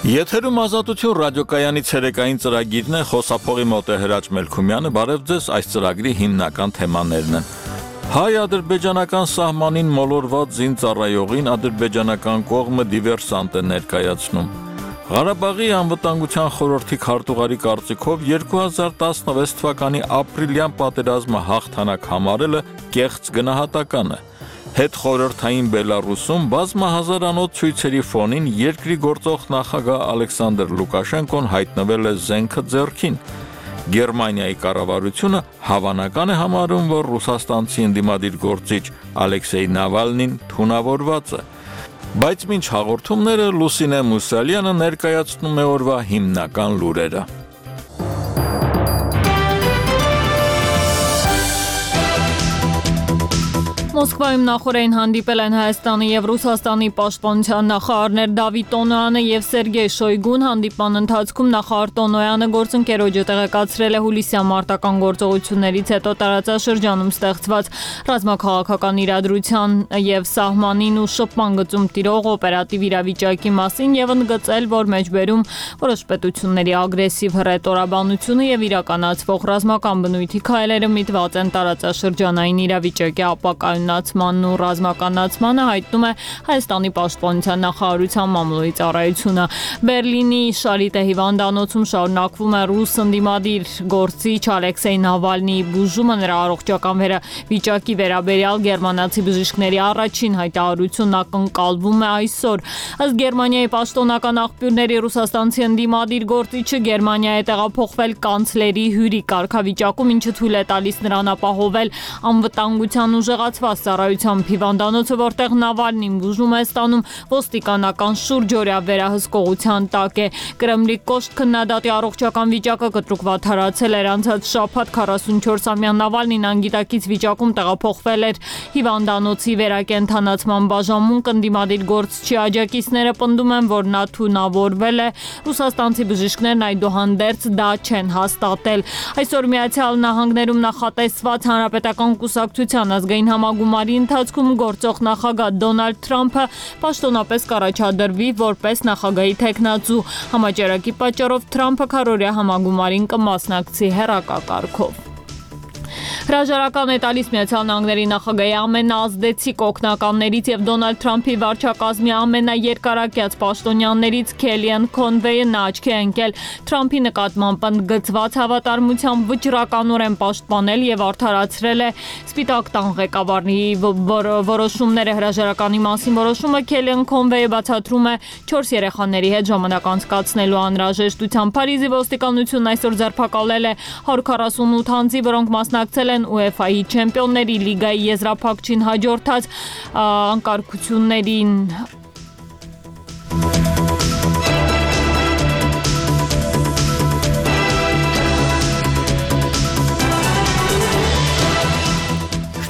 Եթերում ազատություն ռադիոկայանի ցերեկային ծրագիրն է, խոսափողի մոտ է Հրաչ Մելքումյանը, բարև ձեզ, այս ծրագրի հիմնական թեմաներն են։ Հայ-ադրբեջանական սահմանին մոլորված զինծառայողին ադրբեջանական կողմը դիվերսանտ է ներկայացնում։ Ղարաբաղի անվտանգության խորհրդի քարտուղարի կարծիքով 2016 թվականի ապրիլյան պատերազմը հաղթանակ համարելը կեղծ գնահատական է։ Հետխորհրդային Բելարուսում բազմահազարանոց ցույցերի ֆոնին երկրի գործող նախագահ Ալեքսանդր Լուկաշենկոն հայտնվել է զենքը ձեռքին։ Գերմանիայի կառավարությունը հավանական է համարում, որ ռուսաստանցի ընդդիմադիր գործիչ Ալեքսեյ Նավալնին թունավորված է։ Բայց մինչ հաղորդումները Լուսինե Մուսալյանը ներկայացնում է օրվա հիմնական լուրերը։ Մոսկվայում նախորդին հանդիպել են Հայաստանի և Ռուսաստանի պաշտպանության նախարարներ Դավիթ Տոնոյանը և Սերգեյ Շոյգուն։ Հանդիպման ընթացքում նախարար Տոնոյանը գործընկերոջը տեղեկացրել է հուլիսյան մարտական գործողություններից հետո տարածաշրջանում ստեղծված ռազմաքաղաքական իրադրության և սահմանին ու շփման գծում տիրող օպերատիվ իրավիճակի մասին և ընդգծել, որ մեջբերում որոշ պետությունների ագրեսիվ հռետորաբանությունը և իրականացվող ռազմական բնույթի քայլերը միտված են տարածաշրջանային իրավիճակի ապակայունացմանն ու ռազմականացմանը, հայտնում է Հայաստանի պաշտպանության նախարարության մամուլի ծառայությունը։ Բերլինի Շարիտե հիվանդանոցում շարունակվում է ռուս ընդդիմադիր գործիչ Ալեքսեյ Նավալնիի բուժումը, նրա առողջական վիճակի վերաբերյալ գերմանացի բժիշկների առաջին հայտարարությունն ակնկալվում է այսօր։ Ըստ Գերմանիայի պաշտոնական աղբյուրների ռուսաստանցի ընդդիմադիր գործիչը Գերմանիա է տեղափոխվել կանցլերի հյուրի կարգավիճակում, ինչը թույլ է տալիս նրան ապահովել անվտանգության ուժեղացված ծառայությամբ հիվանդանոցը, որտեղ Նավալնին բուժում է ստանում, ոստիկանական շուրջօրյա վերահսկողության տակ է։ Կրեմլի կոշտ քննադատի առողջական վիճակը կտրուկ վատթարացել էր անցած շաբաթ 44-ամյա Նավալնին անգիտակից վիճակում տեղափոխվել էր հիվանդանոցի վերակենդանացման բաժանմունք։ Ընդդիմադիր գործչի աջակիցները պնդում են, որ նա թունավորվել է։ Ռուսաստանցի բժիշկներն այդուհանդերձ դա չեն հաստատել։ Այսօր Միացյալ Նահանգներում նախատեսված հանրապետական կուսակցության ազգային համագումարի ընթացքում գործող նախագահ Դոնալդ Թրամփը պաշտոնապես կառաջադրվի որպես նախագահի թեկնածու։ Համաճարակի պատճառով Թրամփը քառօրյա համագումարին կմասնակցի հեռակակարգով։ Հրաժարական է տալիս Միացյալ Նահանգների նախագահի ամենաազդեցիկ օգնականներից և Դոնալդ Թրամփի վարչակազմի ամենաերկարակյաց պաշտոնյաներից Քելիան Քոնվեյը նա աչքի է ընկել Թրամփի նկատմամբ ընդգծված հավատարմությամբ վճռականորեն պաշտպանել և արդարացրել է Սպիտակ տան ղեկավարի որոշումները։ Հրաժարականի մասին որոշումը Քելիան Քոնվեյը բացատրում է 4 երեխաների հետ ժամանակ անցկացնելու անհրաժեշտությամբ։ Փարիզի ոստիկանությունն այսօր ձերբակալել է 148 անձի, որոնք մասնակցել են UEFA-ի Չեմպիոնների լիգայի եզրափակչին հաջորդած անկարգություններին։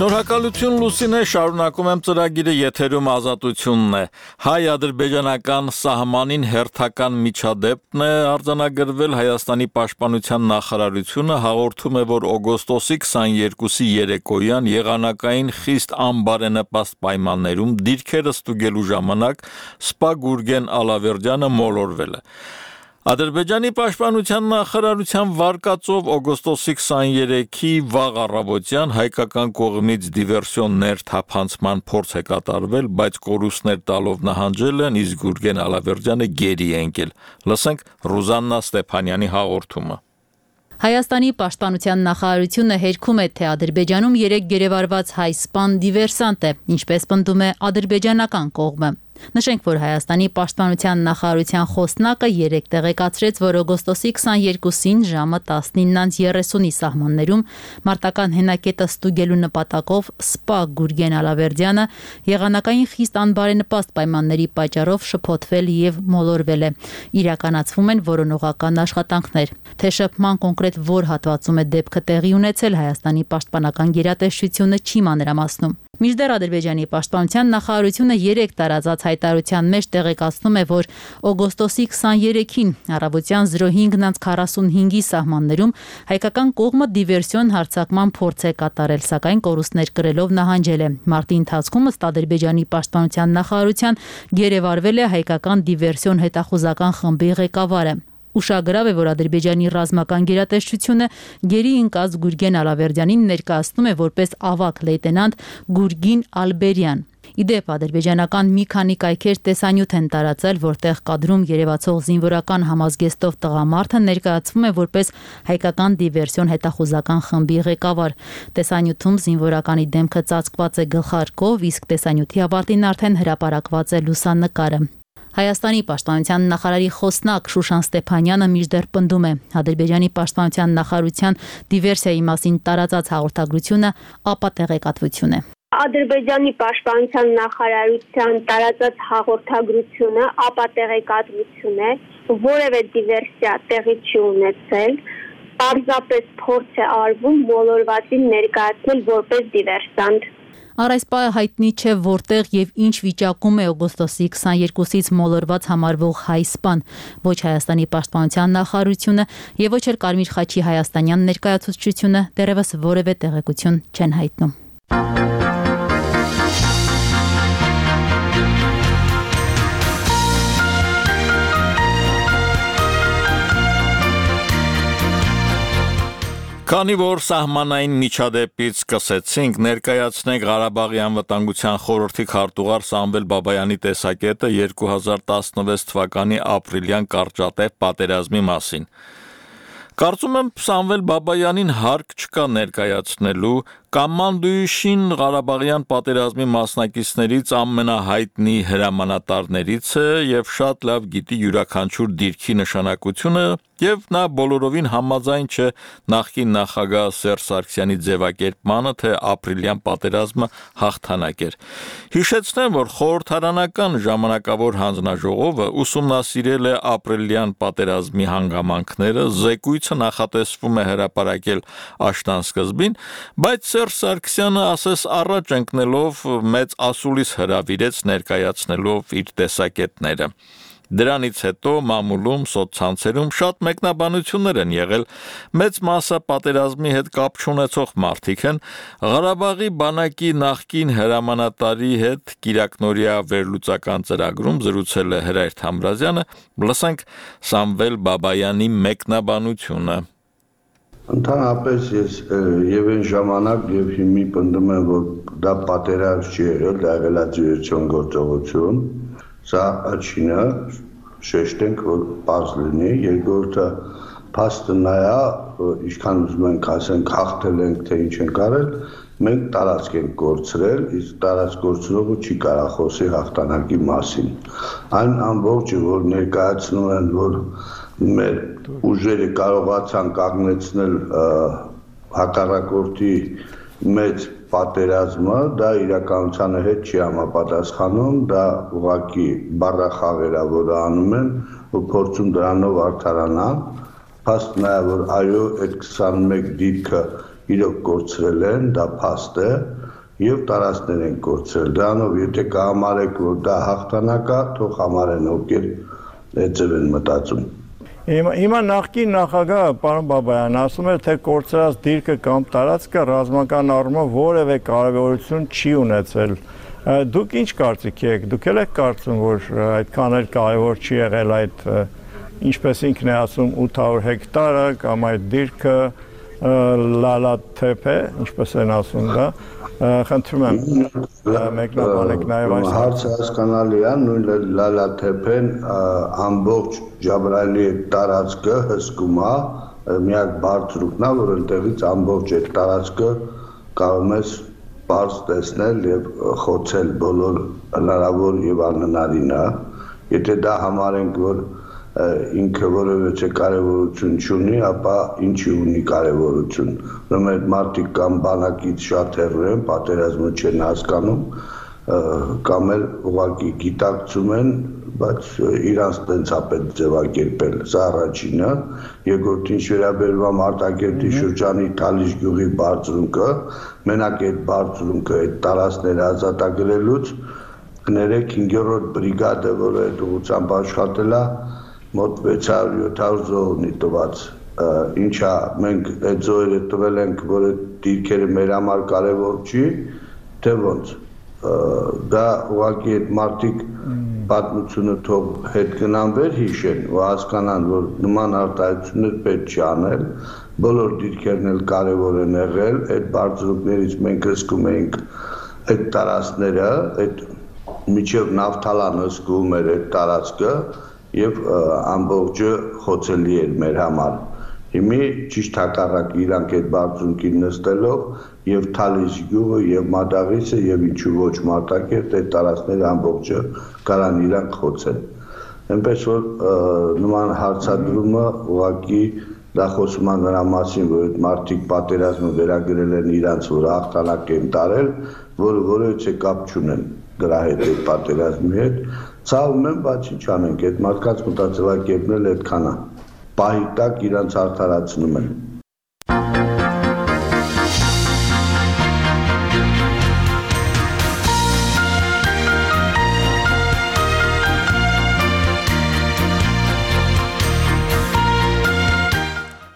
Շնորհակալություն Լուսինե, շարունակում եմ ծրագիրը, եթերում ազատությունն է։ Հայ-ադրբեջանական սահմանին հերթական միջադեպն է արձանագրվել։ Հայաստանի պաշտպանության նախարարությունը հաղորդում է, որ օգոստոսի 22-ի երեկոյան եղանակային խիստ անբարենպաստ պայմաններում դիրքերը ստուգելու ժամանակ սպա Գուրգեն Ալավերդյանը մոլորվել է։ Ադրբեջանի պաշտպանության նախարարության վարկածով օգոստոսի 23-ի վաղ առավոտյան հայկական կողմից դիվերսիոն ներթափանցման փորձ է կատարվել, բայց կորուստներ տալով նահանջել են, իսկ Գուրգեն Ալավերդյանը գերի է ընկել։ Լսենք Ռուզաննա Ստեփանյանի հաղորդումը։ Հայաստանի պաշտպանության նախարարությունը հերքում է, թե Ադրբեջանում 3 գերեվարված հայ սպան դիվերսանտ է, ինչպես պնդում է ադրբեջանական կողմը։ Նշենք, որ Հայաստանի պաշտպանության նախարարության խոսնակը երեկ տեղեկացրեց, որ օգոստոսի 22-ին ժամը 19:30-ի սահմաններում մարտական հենակետը ստուգելու նպատակով սպա Գուրգեն Ալավերդյանը եղանակային խիստ անբարենպաստ պայմանների պատճառով շփոթվել և մոլորվել է։ Իրականացվում են որոնողական աշխատանքներ։ Թե շփման կոնկրետ որ հատվածում է դեպքը տեղի ունեցել, Հայաստանի պաշտպանական գերատեսչությունը չի մանրամասնում։ Մինչդեռ Ադրբեջանի պաշտպանության նախարարությունը 3 տարածած հայտարարության մեջ տեղեկացնում է, որ օգոստոսի 23-ին առավոտյան 05:45-ի սահմաններում հայկական կողմը դիվերսիոն հարձակման փորձ է կատարել, սակայն կորուստներ կրելով նահանջել է։ Մարտի ընթացքում ըստ Ադրբեջանի պաշտպանության նախարարության գերեվարվել է հայկական դիվերսիոն հետախուզական խմբի ղեկավարը։ Ուշագրավ է, որ Ադրբեջանի ռազմական գերատեսչությունը գերի ընկած Գուրգեն Ալավերդյանին ներկայացնում է որպես ավագ լեյտենանտ Գուրգին Ալբերյան։ Իդեպ ադրբեջանական մի քանի կայքեր տեսանյութ են տարածել, որտեղ կադրում երևացող զինվորական համազգեստով տղամարդը ներկայացվում է որպես հայկական դիվերսիոն հետախուզական խմբի ղեկավար։ Տեսանյութում զինվորականի դեմքը ծածկված է գլխարկով, իսկ տեսանյութի ավարտին արդեն հրապարակված է լուսանկարը։ Հայաստանի պաշտպանության նախարարի խոսնակ Շուշան Ստեփանյանը մինչդեռ պնդում է, Ադրբեջանի պաշտպանության նախարարության դիվերսիայի մասին տարածած հաղորդագրությունը ապատեղեկատվություն է։ Ադրբեջանի պաշտպանության նախարարության տարածած հաղորդագրությունը ապատեղեկատվություն է, որևէ դիվերսիա տեղի չի ունեցել, պարզապես փորձ է արվում մոլորվածին ներկայացնել որպես դիվերսանտ։ Առ այս պահը հայտնի չէ որտեղ եւ ինչ վիճակում է օգոստոսի 22-ից մոլորված համարվող հայ սպան։ Ոչ Հայաստանի պաշտպանության նախարարությունը եւ ոչ էլ Կարմիր խաչի հայաստանյան ներկայացուցչությունը դեռևս որևէ տեղեկություն չեն հայտնում։ Քանի որ սահմանային միջադեպից սկսեցինք, ներկայացնենք Ղարաբաղի անվտանգության խորհրդի քարտուղար Սամվել Բաբայանի տեսակետը 2016 թվականի ապրիլյան կարճատև պատերազմի մասին։ Կարծում եմ Սամվել Բաբայանին հարկ չկա ներկայացնելու Կամանդույշին Ղարաբաղյան պատերազմի մասնակիցներից ամենահայտնի հրամանատարներից է եւ շատ լավ գիտի յուրաքանչյուր դիրքի նշանակությունը եւ նա բոլորովին համաձայն չէ նախկին նախագահ Սերժ Սարգսյանի ձևակերպմանը, թե ապրիլյան պատերազմը հաղթանակ էր։ Հիշեցնեմ, որ խորհրդարանական ժամանակավոր հանձնաժողովը ուսումնասիրել է ապրիլյան պատերազմի հանգամանքները, զեկույցը նախատեսվում է հրապարակել աշնան սկզբին, բայց Սերժ Սարգսյանը ասես առաջ ընկնելով մեծ ասուլիս հրավիրեց ներկայացնելով իր տեսակետները։ Դրանից հետո մամուլում, սոցցանցերում շատ մեկնաբանություններ են եղել, մեծ մասը պատերազմի հետ կապ չունեցող մարդիկ են, Ղարաբաղի բանակի նախկին հրամանատարի հետ կիրակնօրյա վերլուծական ծրագրում զրուցել է Հրայր Թամրազյանը, լսենք Սամվել Բաբայանի մեկնաբանությունը։ Ընդհանրապես ես եւ այն ժամանակ եւ հիմի պնդում եմ, որ դա պատերազմ չի եղել, դա եղել է դիվերսիոն գործողություն։ Սա աչինը շեշտենք, որ պարզ լինի, երկրորդը փաստը նա է, ինչքան ուզում ենք ասենք հաղթել ենք, թե ինչ ենք արել, մենք տարածք ենք կորցրել, իսկ տարածք կորցնողը չի կարող խոսի հաղթանակի մասին։ Այն ամբողջը, որ ներկայացնում են, որ մեր ուժերը կարողացան կանգնեցնել հակառակորդի մեծ պատերազմը, դա իրականությանը հետ չի համապատասխանում, դա ուղղակի բառախաղեր է, որը անում են ու փորձում դրանով արդարանալ։ Փաստ նա է, որ այո, այդ 21 դիրքը իրոք կորցրել են, դա փաստ է եւ տարածքներ են կորցրել։ Դրանով եթե կհամարեք, որ դա հաղթանակ է, թող համարեն ովքեր այդ ձև են մտածում։ Հիմա նախկին նախագահը պարոն Բաբայան ասում է, թե կորցրած դիրքը կամ տարածքը ռազմական առումով որևէ կարևորություն չի ունեցել։ Դուք ինչ կարծիք եք։ Դուք եք կարծում, որ այդքան էլ կարևոր չի եղել այդ, ինչպես ինքն է ասում, 800 հեկտարը կամ այդ դիրքը լալաթեփ է, ինչպես են ասում դա։ Խնդրում եմ մեկնաբանեք նաև այս հարցը հասկանալի է, նույն լալաթեփեն ամբողջ Ջաբրայելի տարածքը հսկում է, միակ բարձրուկն է, որ այնտեղից ամբողջ այդ տարածքը կարող ես բարձ տեսնել եւ խոցել բոլոր հնարավոր եւ անհնարինը։ Եթե դա համարենք, որ ինքը որևէ կարևորություն չունի, ապա ինչի ունի կարևորություն։ Ուրեմն այդ մարդիկ կամ բանակից շատ հեռու են, պատերազմը չեն հասկանում, կամ էլ ուղղակի գիտակցում են, բայց իրանց տենց է պետք ձևակերպել, սա առաջինը, երկրորդը ինչ վերաբերում է Մարտակերտի շրջանի Թալիշ գյուղի բարձունքը, մենակ այդ բարձունքը այդ տարածքները ազատագրելուց կներեք 5-րդ բրիգադը, որը այդ ուղղությամբ աշխատել է, մոտ 600-700 զոհ ունի տված, ինչա մենք այդ զոհերը տվել ենք, որ այդ դիրքերը մեր համար կարևոր չի, թե ոնց դա ուղղակի այդ մարդիկ պատմությունը թող հետ գնան վեր հիշեն ու հասկանան, որ նման արտահայտություններ պետք չի անել, բոլոր դիրքերն էլ կարևոր են եղել, այդ բարձրուկներից մենք հսկում էինք այդ տարածքները, այդ միջև Նավթալան հսկում էր այդ տարածքը եւ ամբողջը խոցելի էր մեր համար։ Հիմի ճիշտ հակառակ իրանք այդ բարձունքին նստելով եւ Թալիշ գյուղը եւ Մադաղիսը եւ ինչու ոչ Մարտակերտ այդ տարածքները ամբողջը կարան իրանք խոցեն։ Այնպես որ նման հարցադրումը ուղղակի դա խոսում է նրա մասին, որ այդ մարդիկ պատերազմը վերագրել են իրանց, որ հաղթանակ են տարել, որը որևէ կապ չունեն դրա հետ այդ պատերազմի հետ։ Ցավում եմ, բայց ինչ անենք, այդ մարդկանց մտածելակերպն էլ այդքան է։ Պահի տակ իրանց արդարացնում են։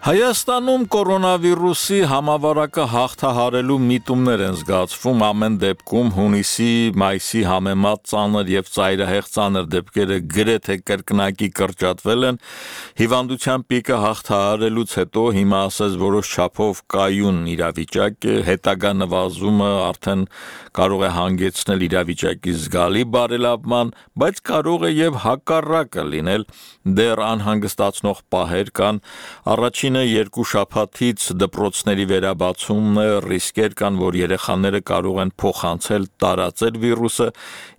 Հայաստանում կորոնավիրուսի համավարակը հաղթահարելու միտումներ են զգացվում ամեն դեպքում հունիսի, մայիսի համեմատ ծանր եւ ծայրահեղ ծանր դեպքերը գրեթե կրկնակի կրճատվել են հիվանդության պիկը հաղթահարելուց հետո հիմա ասես որոշ չափով կայուն իրավիճակ է հետագա նվազումը արդեն կարող է հանգեցնել իրավիճակի զգալի բարելավման, բայց կարող է եւ հակառակը լինել դեռ անհանգստացնող պահեր կան առաջին երկու շաբաթից դպրոցների վերաբացումն է, ռիսկեր կան, որ երեխաները կարող են փոխանցել, տարածել վիրուսը,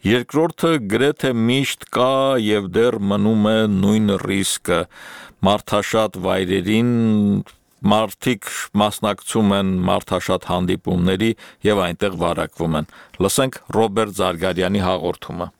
երկրորդը գրեթե միշտ կա եւ դեռ մնում է նույն ռիսկը, մարդաշատ վայրերին մարդիկ մասնակցում են մարդաշատ հանդիպումների եւ այնտեղ վարակվում են։ Լսենք Ռոբերտ Զարգարյանի հաղորդումը։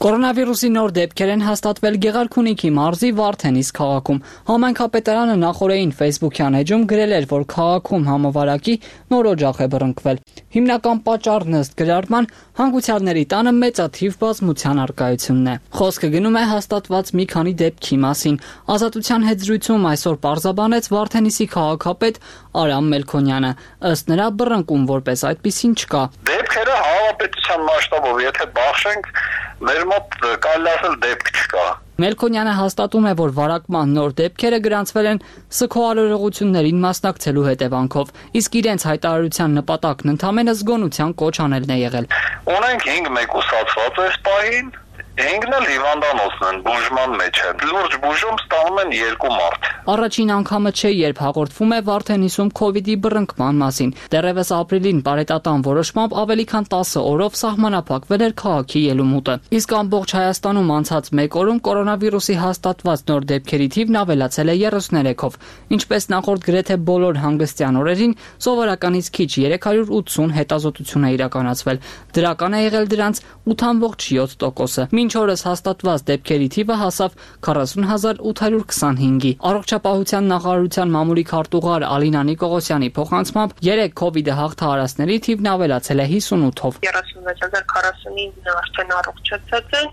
Կորոնավիրուսի նոր դեպքեր են հաստատվել Գեղարքունիքի մարզի Վարդենիս քաղաքում։ Համայնքապետարանը նախորդին Facebook-յան էջում գրել էր, որ քաղաքում համավարակի նոր օջախ է բռնկվել։ Հիմնական պատճառն ըստ գրառման հանգուցյալների տանը մեծաթիվ բազմության առկայությունն է։ Խոսքը գնում է հաստատված մի քանի դեպքի մասին։ Ազատության հետ զրույցում այսօր պարզաբանեց Վարդենիսի քաղաքապետ Արամ Մելքոնյանը։ Ըստ նրա բռնկում որպես այդպիսին չկա։ Դեպքերը հանրապետության մասշտաբով եթե բախշենք մեր մոտ կարելի ասել դեպք չկա։ Մելքոնյանը հաստատում է, որ վարակման նոր դեպքերը գրանցվել են ՍՔՕ արարողություններին մասնակցելու հետևանքով, իսկ իրենց հայտարարության նպատակն ընդամենը զգոնության կոչ անելն է եղել։ Ունենք 5 մեկուսացված այս պահին, 5-ն էլ հիվանդանոցն են, բուժման մեջ են։ Լուրջ բուժում ստանում են 2 մարդ։ Առաջին անգամը չէ, երբ հաղորդվում է Վարդենիսում COVID-ի բռնկման մասին։ Դեռևս ապրիլին բարետատան որոշմամբ ավելի քան 10 օրով սահմանափակվել էր քաղաքի ելումուտը։ Իսկ ամբողջ Հայաստանում անցած 1 օրում կորոնավիրուսի հաստատված նոր դեպքերի թիվն ավելացել է 33-ով։ Ինչպես նախորդ գրեթե բոլոր հանգստյան օրերին, սովորականից քիչ 380 հետազոտություն է իրականացվել։ Դրական է եղել դրանց 8.7%-ը։ Մինչ օրս հաստատված դեպքերի թիվը հասավ 40825-ի։ Առողջապահության նախարարության մամուլի քարտուղար Ալինա Նիկողոսյանի փոխանցմամբ 3 COVID-ը հաղթահարածների թիվն ավելացել է 58-ով։ 36049-ն արդեն առողջացած են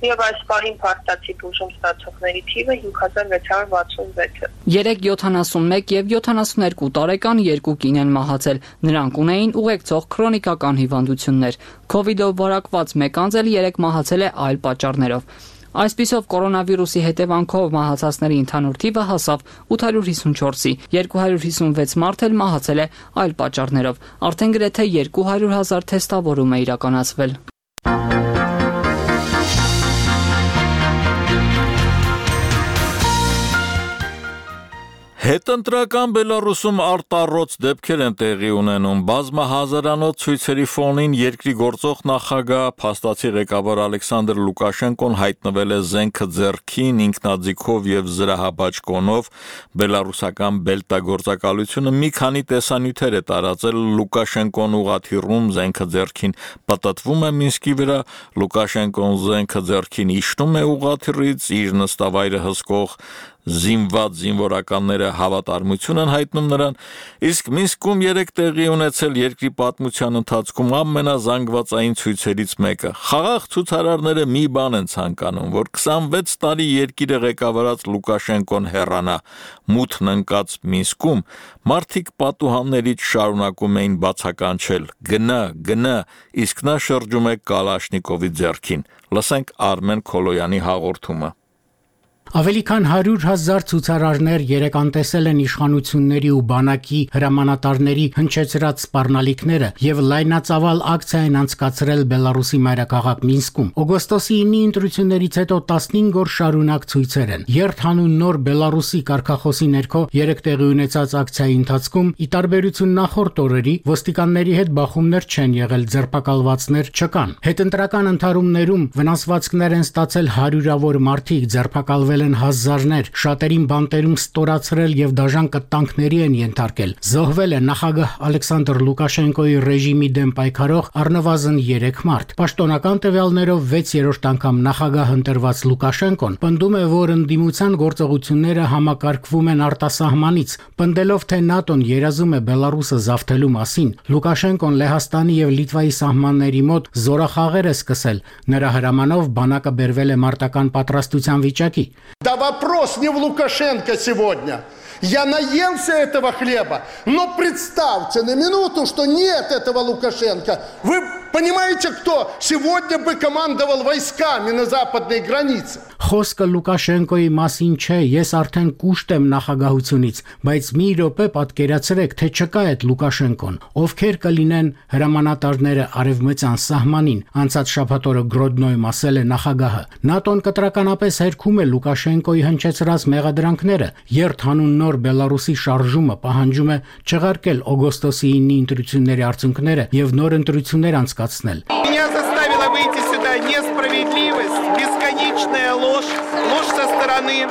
եւ այս պահին փաստացի բուժում ստացողների թիվը 5666-ը։ 3 71 եւ 72 տարեկան 2 կին են մահացել։ Նրանք ունեին ուղեկցող քրոնիկական հիվանդություններ։ COVID-ով վարակված 1 անձ էլ 3 մահացել է այլ պատճառներով։ Այսպիսով կորոնավիրուսի հետևանքով մահացածների ընդհանուր թիվը հասավ 854-ի, 256 մարդ էլ մահացել է այլ պատճառներով։ Արդեն գրեթե 200,000 թեստավորում է իրականացվել։ Հետընտրական Բելարուսում արտառոց դեպքեր են տեղի ունենում։ Բազմահազարանոց ցույցերի ֆոնին երկրի գործող նախագահ փաստացի ղեկավար Ալեքսանդր Լուկաշենկոն հայտնվել է զենքը ձեռքին, ինքնաձիգով եւ զրահաբաճկոնով։ Բելարուսական բելտագործակալությունը մի քանի տեսանյութեր է տարածել Լուկաշենկոն ուղաթիռում զենքը ձեռքին պատտվում է Մինսկի վրա, Լուկաշենկոն զենքը ձեռքին իջնում է ուղաթիռից, իր նստավայրը հսկող զինված զինվորականները հավատարմություն են հայտնում նրան, իսկ Մինսկում 3 տեղի ունեցել երկրի պատմության ընթացքում ամենազանգվածային ցույցերից մեկը։ Խաղաղ ցուցարարները մի բան են ցանկանում, որ 26 տարի երկիրը ղեկավարած Լուկաշենկոն հեռանա։ Մութն ընկած Մինսկում մարդիկ պատուհաններից շարունակում էին բացականչել. գնա, իսկ նա շրջում է Կալաշնիկովի ձեռքին։ Լսենք Արմեն Քոլոյանի հաղորդումը։ Ավելի քան 100,000 ցուցարարներ երեկ անտեսել են իշխանությունների ու բանակի հրամանատարների հնչեցրած սպառնալիքները եւ լայնածավալ ակցիա են անցկացրել Բելարուսի մայրաքաղաք Մինսկում։ Օգոստոսի 9-ի ընտրություններից հետո 15 օր շարունակ ցույցեր են։ Երթանուն նոր Բելարուսի կարգախոսի ներքո երեկ տեղի ունեցած ակցիայի ընթացքում ի տարբերություն նախորդ օրերի ոստիկանների հետ բախումներ չեն եղել, ձերբակալվածներ չկան։ Հետընտրական ընթարումներում վնասվածքներ են ստացել հարյուրավոր մարդիկ, ձերբակալվել են հազարներ, շատերին բանտերում ստորացրել եւ դաժան կտանքների են ենթարկել։ Զոհվել է նախագահ Ալեքսանդր Լուկաշենկոյի ռեժիմի դեմ պայքարող առնվազն 3 մարդ։ Պաշտոնական տվյալներով 6-րդ անգամ նախագահ ընտրված Լուկաշենկոն պնդում է, որ ընդդիմության գործողությունները համակարգվում են արտասահմանից, պնդելով, թե ՆԱՏՕ-ն երազում է Բելարուսը զավթելու մասին։ Լուկաշենկոն Լեհաստանի եւ Լիտվայի սահմանների մոտ զորախաղեր է սկսել։ Նրա հրամանով բանակը բերվել է մարտական պատրաստության вичаки. Да вопрос не в Лукашенко сегодня. Я наелся этого хлеба, но представьте на минуту, что нет этого Лукашенко. Вы понимаете, кто сегодня бы командовал войсками на западной границе? Խոսքը Լուկաշենկոյի մասին չէ, ես արդեն կուշտ եմ նախագահությունից, բայց մի րոպե պատկերացրեք, թե չկա այդ Լուկաշենկոն, ովքեր կլինեն հրամանատարները արևմտյան սահմանին, անցած շաբաթ օրը Գրոդնոյում ասել է նախագահը։ ՆԱՏՕ-ն կտրականապես հերքում է Լուկաշենկոյի հնչեցրած мегаդրանքները, երթանուն նոր Բելարուսի շարժումը պահանջում է չեղարկել օգոստոսի 9-ի ընտրությունների արդյունքները եւ նոր ընտրություններ անցկացնել։ Меня заставила выйти сюда несправедливость, бесконечная ложь, ложь со стороны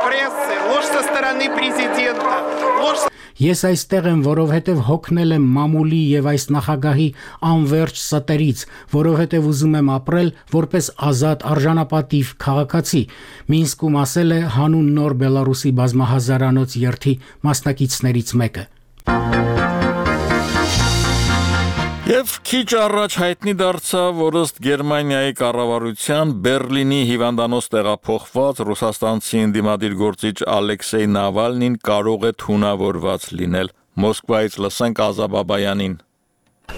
прессы, ложь со стороны президента, ложь. Ես այստեղ եմ, որովհետև հոգնել եմ մամուլի եւ այս նախագահի անverջ ստերից, որովհետև ուզում եմ ապրել որպես ազատ արժանապատիվ քաղաքացի։ Մինսկում ասել է հանուն նոր Բելարուսի բազմահազարանոց երթի մասնակիցներից մեկը։ Եվ քիչ առաջ հայտնի դարձավ, որ ըստ Գերմանիայի կառավարության Բերլինի հիվանդանոց տեղափոխված ռուսաստանցի ընդդիմադիր գործիչ Ալեքսեյ Նավալնին կարող է թունավորված լինել։ Մոսկվայից լսենք Ազա Բաբայանին։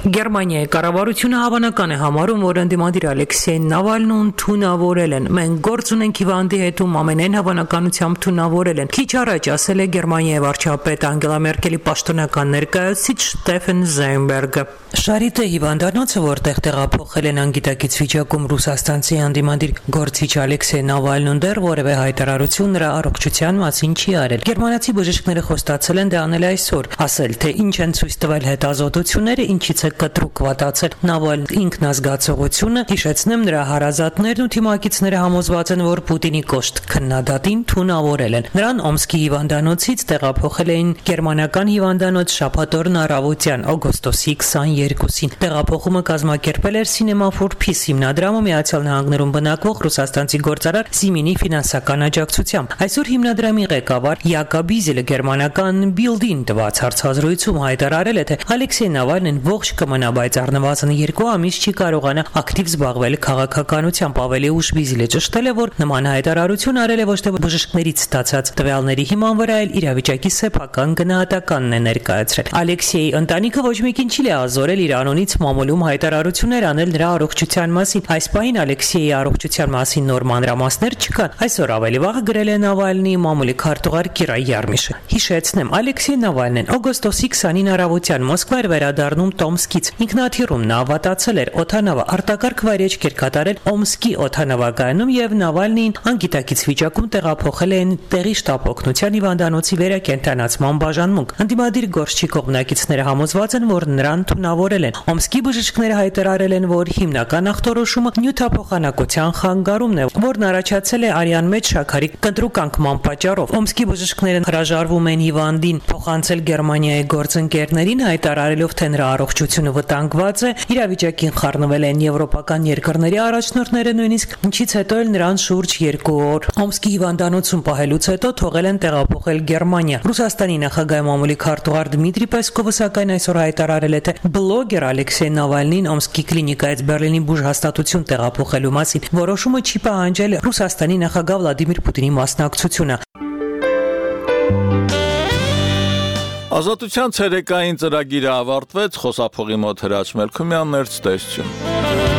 Գերմանիայի կառավարությունը հավանական է համարում, որ ընդդիմադիր Ալեքսեյ Նավալնուն թունավորել են։ Մենք գործ ունենք հիվանդի հետ, ում ամենայն հավանականությամբ թունավորել են։ Քիչ առաջ ասել է Գերմանիայի վարչապետ Անգելա Մերկելի պաշտոնական ներկայացուցիչ Ստեֆեն Զայնբերգը։ Շարիտե հիվանդանոցը, որտեղ տեղափոխել են անգիտակից վիճակում ռուսաստանցի ընդդիմադիր գործիչ Ալեքսեյ Նավալնուն, դեռ որևէ հայտարարություն նրա առողջության մասին չի արել։ Գերմանացի բժիշկները խոստացել են դա անել այսօր, ասել, թե ինչ են ցույց տվել հետազոտությունները, ինչից է կտրուկ վատացել Նավալնի ինքնազգացողությունը, հիշեցնեմ նրա հարազատներն ու թիմակիցները համոզված են, որ Պուտինի կոշտ քննադատին թունավորել են։ Նրան Օմսկի հիվանդանոցից տեղափոխել էին գերմանական հիվանդանոց շաբաթօրն առավոտյան օգոստոսի 22-ին։ Տեղափոխումը կազմակերպել էր Cinema for Peace հիմնադրամը Միացյալ Նահանգներում բնակվող ռուսաստանցի գործարար Սիմինի ֆինանսական աջակցությամբ։ Այսօր հիմնադրամի ղեկավար Յակոբ Բիզելը գերմանական Bild-ին տված հարցազրույցում հայտարարել է, թե Ալեքսեյ Նավալնին ողջ կմնա, բայց առնվազն 2 ամիս չի կարողանա ակտիվ զբաղվել քաղաքականությամբ։ Ավելի ուշ Բիզելը ճշտել է, որ նման հայտարարություն արել է ոչ թե բժիշկներից ստացած տվյալների հիման վրա, այլ իրավիճակի սեփական գնահատականն է ներկայացրել։ Ալեքսեյի ընտանիքը ոչ մեկին չի լիազորել իր անունից մամուլում հայտարարություններ անել նրա առողջության մասին։ Այս պահին Ալեքսեյի առողջության մասին նոր մանրամասներ չկան։ Այսօր ավելի վաղ գրել է Նավալնիի մամուլի քարտուղար Կիրա Յարմիշը։ Հիշեցնեմ, Ալեքսեյ Նավալնին օգոստոսի 20-ին առավոտյան Մոսկվա էր վերադառնում Տոմ Օմսկից։ Ինքնաթիռում նա ավատացել էր, օդանավը արտակարգ վայրեջք էր կատարել Օմսկի օդանավակայանում եւ Նավալնին անգիտակից վիճակում տեղափոխել են տեղի շտաբ օգնության հիվանդանոցի վերակենդանացման բաժանմունք։ Անդիմադիր գործչի կողմնակիցները համոզված են, որ նրան թունավորել են։ Օմսկի բժիշկները հայտարարել են, որ հիմնական ախտորոշումը նյութափոխանակության խանգարումն է, որն առաջացել է արյան մեջ շաքարի կտրուկ անկման պատճառով։ Օմսկի բժիշկները հրաժարվում են հիվանդին փոխանցել Գերմանիայի գործընկերներին, հայտարարելով, թե նրա առողջությունը վտանգված է։ Իրավիճակին խառնվել են եվրոպական երկրների առաջնորդները, նույնիսկ ինչից հետո էլ նրան շուրջ 2 օր Օմսկի հիվանդանոցում պահելուց հետո թողել են տեղափոխել Գերմանիա։ Ռուսաստանի նախագահի մամուլի քարտուղար Դմիտրի Պեսկովը սակայն այսօր հայտարարել է, թե բլոգեր Ալեքսեյ Նավալնին Օմսկի կլինիկայից Բերլինի բուժհաստատություն տեղափոխելու մասին որոշումը չի պահանջել Ռուսաստանի նախագահ Վլադիմիր Պուտինի մասնակցությունը։ Ազատության ցերեկային ծրագիրը ավարտվեց, խոսափողի մոտ Հրաչ Մելքումյանն էր, ցտեսություն։